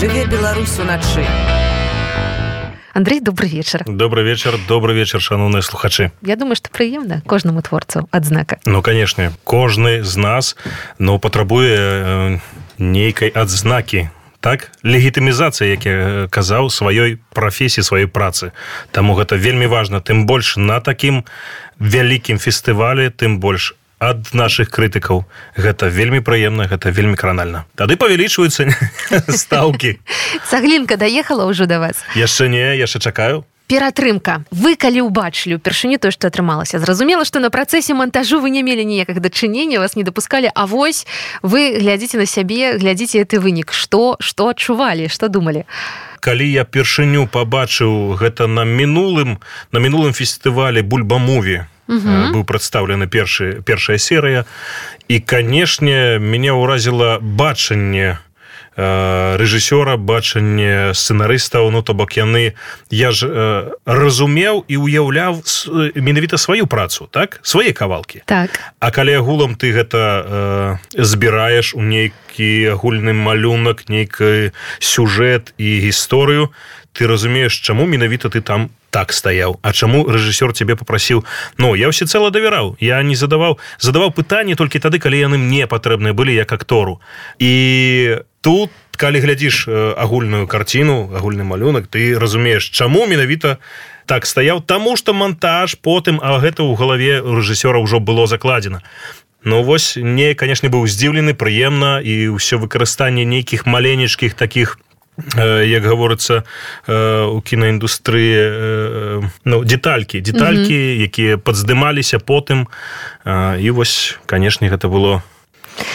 Жыве Беларусь уначы. Андрей, добрый вечер. Добрый вечер, шановные слухачи. Я думаю, что прыемна кожнаму творцу адзнака. Ну, конечно, кожны з нас, но патрабуе нейкай адзнакі. Так, легітымізацыя, як я казаў, сваёй прафесіі, сваёй працы. Таму гэта вельмі важна. Тым больш на такім вялікім фестывалі, тым больш ад нашых крытыкаў. Гэта вельмі прыемна, гэта вельмі кранальна. Тады павялічваюцца стаўкі. Цаглінка даехала ўжо да вас? Яшчэ не, яшчэ чакаю. Ператрымка. Вы калі ўбачылі ўпершыню тое, што атрымалася, зразумела, што на працэсе монтажу вы не мелі ніякага дачынення, вас не дапускалі, а вось вы глядзіце на сябе, глядзіце гэты вынік. Што адчувалі, што думалі? Калі я першыню пабачыў гэта на мінулым фестывалі Бульба-муві, быў прадстаўлены першая серыя, і, канешне, мяне ўразіла бачанне рэжысёра, бачанне сцэнарыстаў, ну, то бок яны, я ж разумеў і уяўляў менавіта сваю працу, так? Свае кавалкі. Так. А калі агулам ты гэта збіраеш у нейкі агульны малюнак, нейкі сюжэт і гісторыю, ты разумееш, чаму менавіта ты там так стаяў, а чаму рэжысёр цябе папрасіў. Ну, я ўсецэла давяраў, я не задаваў пытанні толькі тады, калі яны мне патрэбныя былі як актору. І тут, калі глядзіш агульную карціну, агульны малюнак, ты разумееш, чаму менавіта так стаяў, таму што монтаж потым, а гэта ў галаве рэжысёра ўжо было закладзена. Ну, вось, мне, канешне, быў здзіўлены, прыемна, і ўсё выкарыстанне нейкіх маленечкіх такіх, як гаворыцца у кінаіндустрыі, ну, деталькі, якія падздымаліся потым, і вось, канешне, гэта было.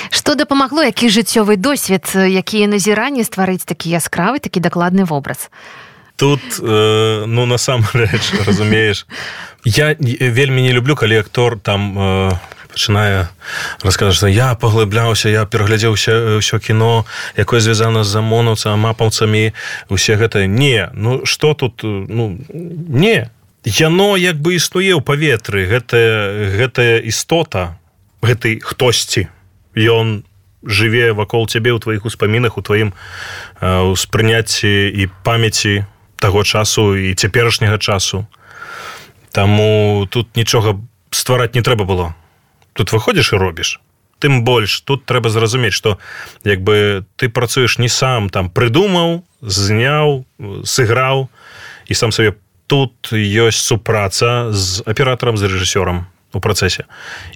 Што дапамагло, які жыццёвы досвед, якія назіранні стварыць такі яскравы, такі дакладны вобраз? Тут, ну, насамрэч, разумееш, я вельмі не люблю, калі актор там пачынае расказаць, што я паглыбляўся, я пераглядзеў ўсё кіно, якое звязана з амонаўцам, мапаўцамі, усе гэта. Не, ну, што тут, ну, не. Яно як бы існуе ў паветры, гэтая істота, гэтай хтосьці. Ён жыве вакол цябе ў тваіх успамінах, у тваім успрыняцці і памяці таго часу і цяперашняга часу. Таму тут нічога ствараць не трэба было. Тут выходзіш і робіш. Тым больш, тут трэба зразумець, што як бы ты працуеш не сам, там прыдумаў, зняў, сыграў, і сам сабе. Тут ёсць супраца з аператарам, з рэжысёрам у працэсе.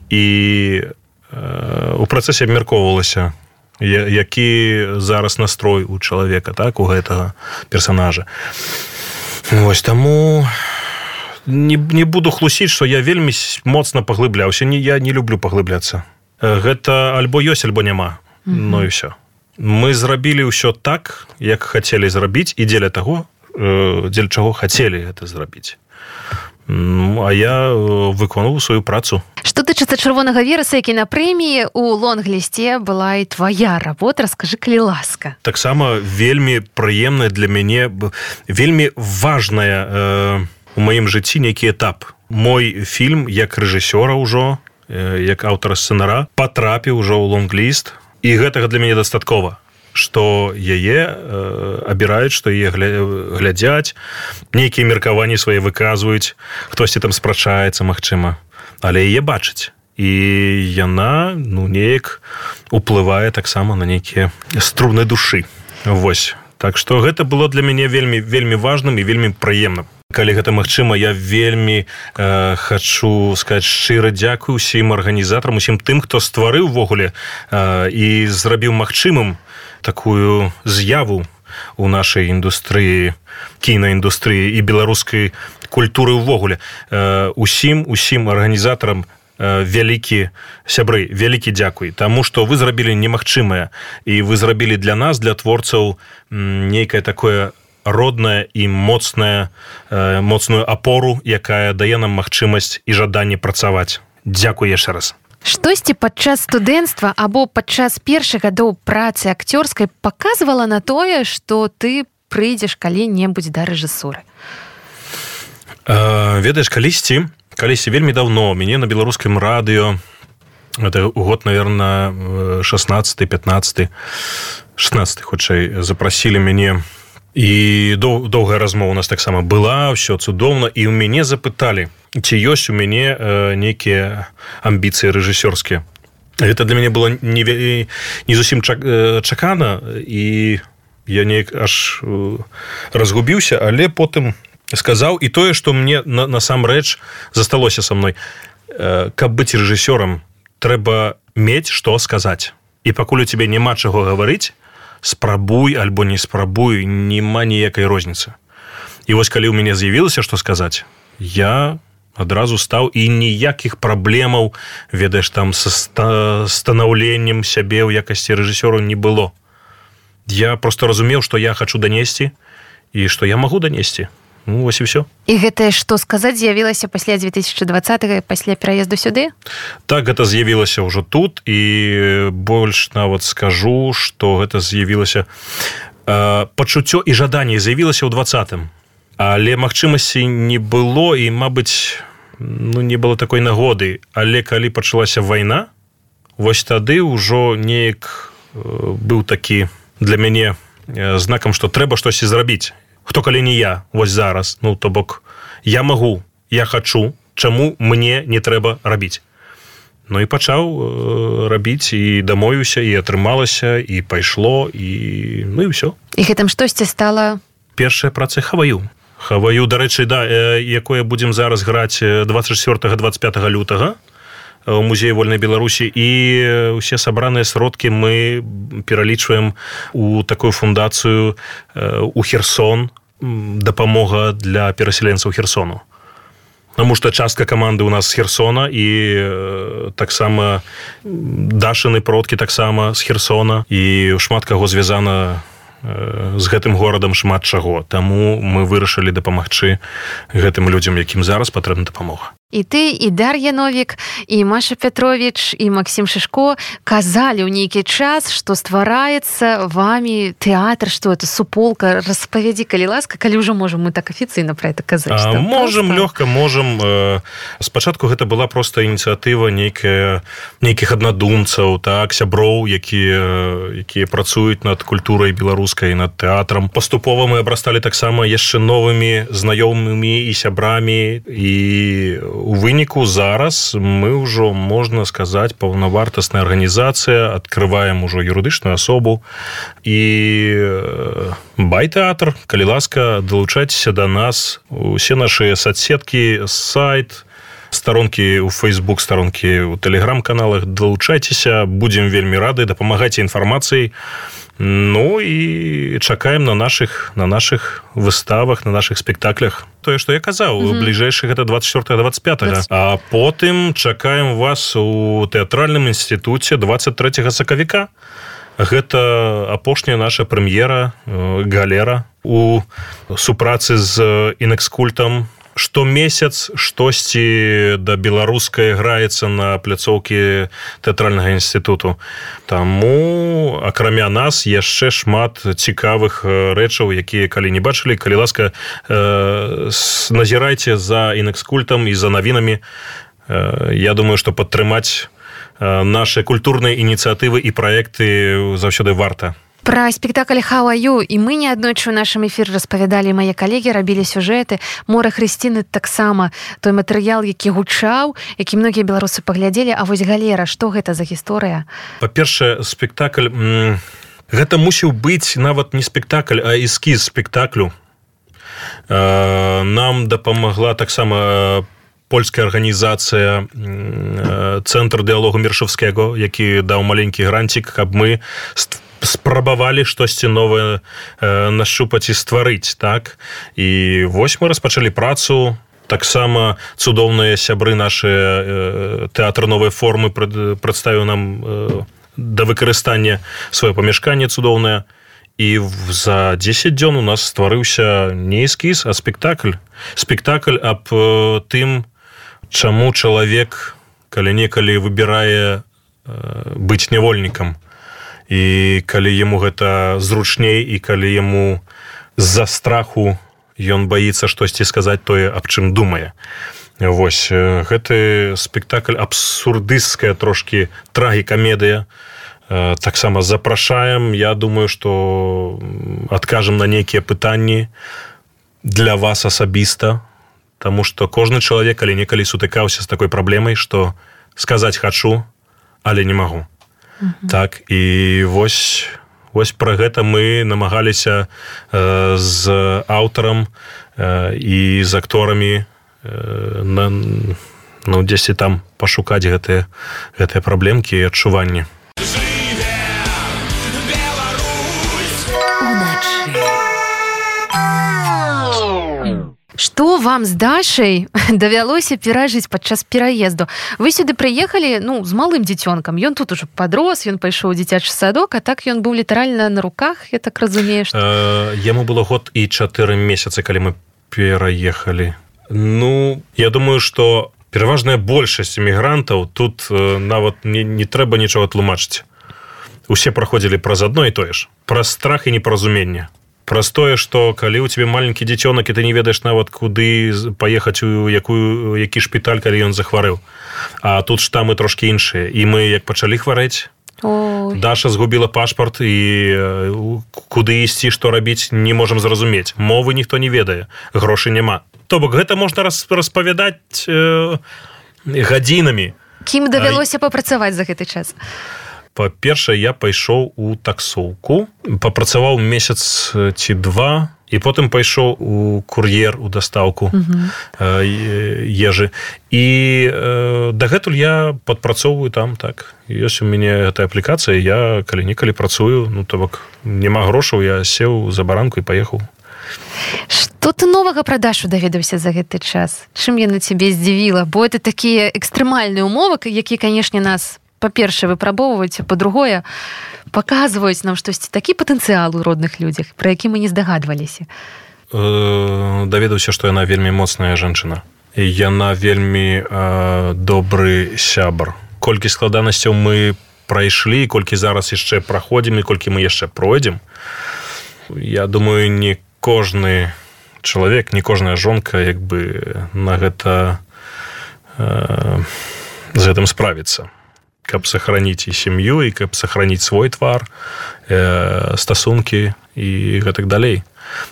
І у працэсе абмяркоўвалася, які зараз настрой у чалавека, так, у гэтага персанажа. Вось, таму не буду хлусіць, што я вельмі моцна паглыбляўся. Я не люблю паглыбляцца. Гэта альбо ёсць, альбо няма. Ну і ўсё. Мы зрабілі ўсё так, як хацелі зрабіць, і дзеля чаго хацелі гэта зрабіць. А я выконваў сваю працу. Што тычыцца чырвонага вераса, які на прэміі у лонг-лісце была і твая работа, раскажы, калі ласка. Таксама вельмі прыемная для мяне, вельмі важная у маім жыцці нейкі этап. Мой фільм, як рэжысёра ўжо, як аўтара сцэнара, патрапіў ужо ў лонг-ліст, і гэтага для мяне дастаткова, што яе абіраюць, што яе глядзяць, нейкія меркаванні свае выказваюць, хтосьці там спрачаецца, магчыма, але яе бачыць. І яна, ну, неяк уплывае таксама на нейкія струны душы. Вось. Так што гэта было для мяне вельмі, вельмі важным і вельмі прыемным. Калі гэта магчыма, я вельмі хачу сказаць шчыра дзякуй усім арганізатарам, усім тым, хто стварыў увогуле і зрабіў магчымым такую з'яву у нашай індустрыі, кінаіндустрыі і беларускай культуры ўвогуле. Усім арганізатарам вялікі сябры, вялікі дзякуй, таму што вы зрабілі немагчымае, і вы зрабілі для нас, для творцаў, нейкае такое родная і моцную апору, якая дае нам магчымасць і жаданне працаваць. Дзякуй яшчэ раз. Штосьці падчас студэнцтва або падчас першых гадоў працы акцёрскай паказвала на тое, што ты прыйдзеш калі-небудзь да рэжысуры? Ведаеш, калісьці вельмі даўно мяне на беларускім радыё это год, наверное, 16-15, 16 хутчэй, запрасілі мяне, і доўгая размова у нас таксама была, ўсё цудоўна, і ў мяне запыталі, ці ёсць у мяне нейкія амбіцыі рэжысёрскія. Гэта для мяне было не зусім чакана, і я неяк аж разгубіўся, але потым сказаў, і тое, што мне насамрэч засталося са мной. Каб быць рэжысёрам, трэба мець што сказаць. І пакуль у цябе няма чаго гаварыць, спрабуй альбо не спрабуй, няма ніякай розніцы. І вось калі ў мяне з'явілася што сказаць, я адразу стаў, і ніякіх праблемаў, ведаеш, там са станаўленнем сябе ў якасці рэжысёру не было. Я просто разумеў, што я хачу данесці і што я магу данесці. Ну, вось і ўсё. І гэтае што сказаць з'явілася пасля 2020-го, пасля пераезду сюды? Так, гэта з'явілася ўжо тут, і больш нават скажу, што гэта з'явілася пачуццё і жаданне з'явілася ў 20-м. Але магчымасці не было, і, мабыць, не было такой нагоды. Але калі пачалася вайна, вось тады ўжо неяк быў такі для мяне знакам, што трэба штосьці зрабіць. Хто калі не я, вось зараз, то бок, я магу, я хачу, чаму мне не трэба рабіць. І пачаў рабіць, і дамовіўся, і атрымалася, і пайшло, і ўсё. І гэтым штосьці стала? Першая праца Хаваю. Хаваю, дарэчы, якое будзем зараз граць 24-25 лютага у музеі вольнай Беларусі, і ўсе сабраныя сродкі мы пералічваем у такую фундацыю у Херсон, дапамога для перасяленцаў Херсону. Таму што частка каманды ў нас з Херсона, і таксама Дашыны продкі таксама з Херсона, і шмат каго звязана з гэтым горадам, шмат чаго. Таму мы вырашылі дапамагчы гэтым людзям, якім зараз патрэбна дапамога. І ты, і Дар'я Новік, і Маша Петрович, і Максим Шишко казалі ў нейкі час, што ствараецца вамі тэатр, што это суполка. Распавядзі, калі ласка, калі ўжо можам мы так афіцыйна пра это казаць. Можам, лёгка, можам. Спачатку гэта была проста ініцыятыва нейкіх аднадумцаў, так, сяброў, якія працуюць над культурай беларускай, над тэатрам. Паступова мы абрасталі таксама яшчэ новымі знаёмымі і сябрамі, і у выніку зараз мы ўжо, можна сказаць, паўнавартасная арганізацыя, адкрываем ужо юрыдычную асобу, і байтэатр, калі ласка, далучайцеся да нас, усе нашы соцсеткі, сайт, старонкі ў Facebook, старонкі ў Telegram-каналах, далучайцеся, будзем вельмі рады, дапамагайце інфармацыяй. І чакаем на наших выставах, на наших спектаклях. Тое, што я казаў, бліжэйшых гэта 24-25. А потым чакаем вас у тэатральным інстытуце 23 сакавіка. Гэта апошняя наша прэм'ера, галера у супрацы з Інэкскультам. Штомесяц штосьці да беларускай граецца на пляцоўкі тэатральнага інстытуту. Таму, акрамя нас, яшчэ шмат цікавых рэчаў, якія калі не бачылі, калі ласка, назірайце за Інэкскультам і за навінамі. Я думаю, што падтрымаць нашы культурныя ініцыятывы і праекты заўсёды варта. Пра спектакль «Хаваю» і мы неаднойчы ў нашым эфіры распавядалі, мае калегі рабілі сюжэты. «Мора Хрысціны» таксама той матэрыял, які гучаў, які многія беларусы паглядзелі. А вось галера, што гэта за гісторыя? Па-першае, спектакль... Гэта мусіў быць нават не спектакль, а эскіз спектаклю. Нам дапамагла таксама польская арганізацыя «Цэнтр дыялогу Мершавскага», які даў маленькі гранцік, каб мы спрабавалі штосьці новае нашупаць і стварыць, так? І вось мы распачалі працу. Таксама цудоўныя сябры нашыя тэатр новай формы прадставіў нам да выкарыстання сваё памяшканне цудоўнае. І за 10 дзён у нас стварыўся не эскіз, а спектакль. Спектакль аб тым, чаму чалавек калі-некалі выбірае быць нявольнікам. І калі яму гэта зручней, і калі яму з-за страху ён баіцца штосьці сказаць тое, аб чым думае. Вось, гэты спектакль абсурдысцкая трошкі трагікамедыя. Таксама запрашаем. Я думаю, што адкажам на нейкія пытанні для вас асабіста, таму што кожны чалавек калі-некалі сутыкаўся з такой праблемай, што сказаць хачу, але не магу. Так, і вось пра гэта мы намагаліся з аўтарам і з акторамі дзесьці там пашукаць гэтыя праблемкі і адчуванні. Што вам з Дашай давялося перажыць падчас пераезду? Вы сюды прыехалі, з малым дзіцёнкам. Ён тут ужо падрос, ён пайшоў у дзіцячы садок, а так ён быў літаральна на руках, я так разумею, што... Яму было год і 4 месяцы, калі мы пераехалі. Я думаю, што пераважная большасць эмігрантаў тут нават не трэба нічога тлумачыць. Усе праходзілі праз адно і тое ж. Праз страх і непаразуменне. Праз тое, што калі ў цябе маленькі дзіцёнак, і ты не ведаеш нават, куды паехаць у які шпіталь, калі ён захварэў. А тут штамы трошкі іншыя. І мы, як пачалі хварэць, Даша згубіла пашпарт, і куды ісці, што рабіць, не можам зразумець. Мовы ніхто не ведае, грошай няма. То бок, гэта можна распавядаць гадзінамі. Кім давялося папрацаваць за гэты час? Па-першае, я пайшоў у таксоўку, папрацаваў месяц ці 2, і потым пайшоў у кур'ер, у дастаўку ежы. І дагэтуль я падпрацоўваю там, так. Ёсць у мяне гэтая аплікацыя, я калі-нікалі працую, то бок, няма грошаў, я сеў за баранку і паехаў. Што ты новага пра Дашу даведаўся за гэты час? Чым яна цябе здзівіла? Бо это такія экстрэмальныя умовы, якія, канешне, нас па-першае, выпрабоўваюць, а па-другое, паказваюць нам штосьці такі патэнцыял у родных людзях, пра які мы не здагадваліся. Даведаўся, што яна вельмі моцная жанчына. І яна вельмі добры сябар. Колькі складанасцяў мы прайшлі, колькі зараз яшчэ праходзім, і колькі мы яшчэ пройдзем, я думаю, не кожны чалавек, не кожная жонка на гэта з гэтым справіцца. Каб сохраніць і сям'ю, і каб сохраніць свой твар, стасункі і гэтак далей.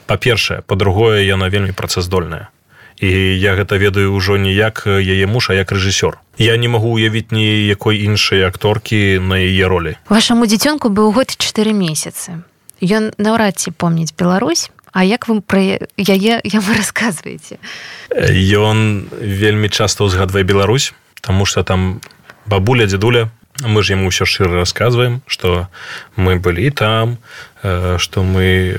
Па-першае. Па-другое, яна вельмі працаздольная. І я гэта ведаю ўжо не як яе муж, а як рэжысёр. Я не магу уявіць ніякой іншай акторкі на яе ролі. Вашаму дзіцёнку быў год і 4 месяцы. Ён наўрад ці помніць Беларусь, а як вы пра яе яму расказваеце? Ён вельмі часта ўзгадвае Беларусь, таму што там бабуля, дзедуля, мы ж яму ўсё шчыра расказваем, што мы былі там, што мы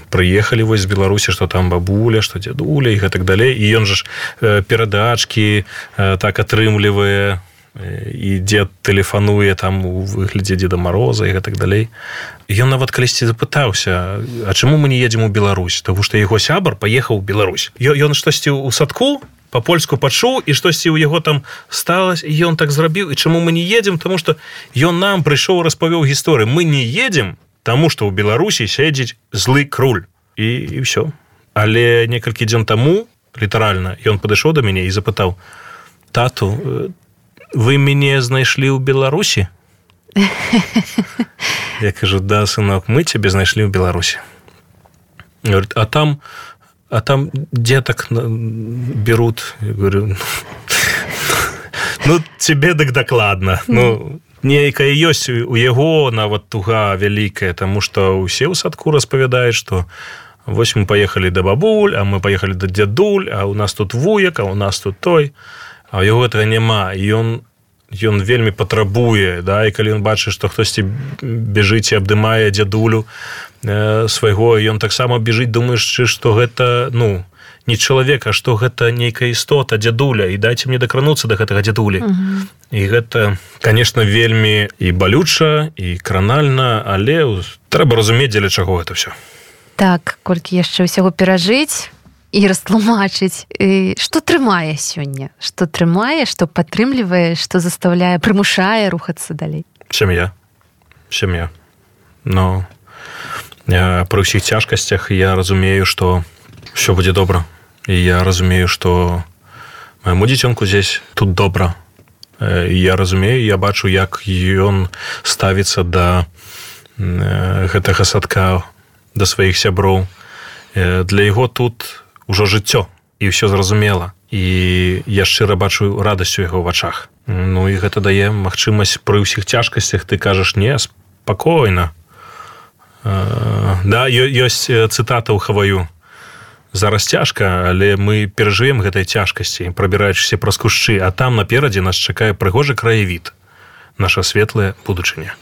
прыехалі вось з Беларусі, што там бабуля, што дзедуля і гэтак далей. І ён жа перадачкі так атрымлівае, і дзед тэлефануе там у выглядзе Дзеда Мороза і гэтак далей. Ён нават калісьці запытаўся, а чаму мы не едзем у Беларусь? Таму што яго сябар паехаў у Беларусь. Ён штосьці ў садку па-польску пачуў, і штосьці ў яго там сталася, і ён так зрабіў. І чаму мы не едзем? Таму што ён нам прыйшоў, распавёў гісторыю. Мы не едзем, таму што ў Беларусі сядзіць злы круль. І ўсё. Але некалькі дзён таму, літаральна, ён падышоў да мяне і запытаў: тату, вы мяне знайшлі ў Беларусі? Я кажу: да, сынок, мы цябе знайшлі ў Беларусі. Говорит: а там деток берут. Я говорю: тебе так докладно. Нейкая ёсць у яго нават туга вялікая, таму што ўсе ў садку распавядаюць, што вось мы паехалі да бабуль, а мы паехалі да дзядуль, а у нас тут вуяк, а у нас тут той. А ў яго гэтага няма. Ён вельмі патрабуе, да, і калі ён бачыць, што хтосьці бежыць і абдымае дзядулю свайго, ён таксама бежыць, думаючы, што гэта, не чалавек, а што гэта нейкая істота, дзядуля, і дайце мне дакрануцца да гэтага дзядулі. І гэта, конечно, вельмі і балюча, і кранальна, але трэба разумець, дзеля чаго гэта ўсё. Так, колькі яшчэ ўсяго перажыць і растлумачыць, што трымае сёння, што трымае, што падтрымлівае, што заставляе, прымушае рухацца далей. Сям'я. Но пры ўсіх цяжкасцях я разумею, што ўсё будзе добра. І я разумею, што Майму дзіцёнку здесь тут добра. Я разумею, я бачу, як ён ставіцца да гэтага садка, да сваіх сяброў. Для яго тут ужо жыццё, і ўсё зразумела. І я шчыра бачу радасць у яго вачах. Ну і гэта дае магчымасць пры ўсіх цяжкасцях, ты кажаш, не, спакойна. Да, ёсць цытата ў Хаваю. Зараз цяжка, але мы перажывем гэтай цяжкасці, прабіраючыся праз кушчы, а там наперадзе нас чакае прыгожы краявід, наша светлая будучыня.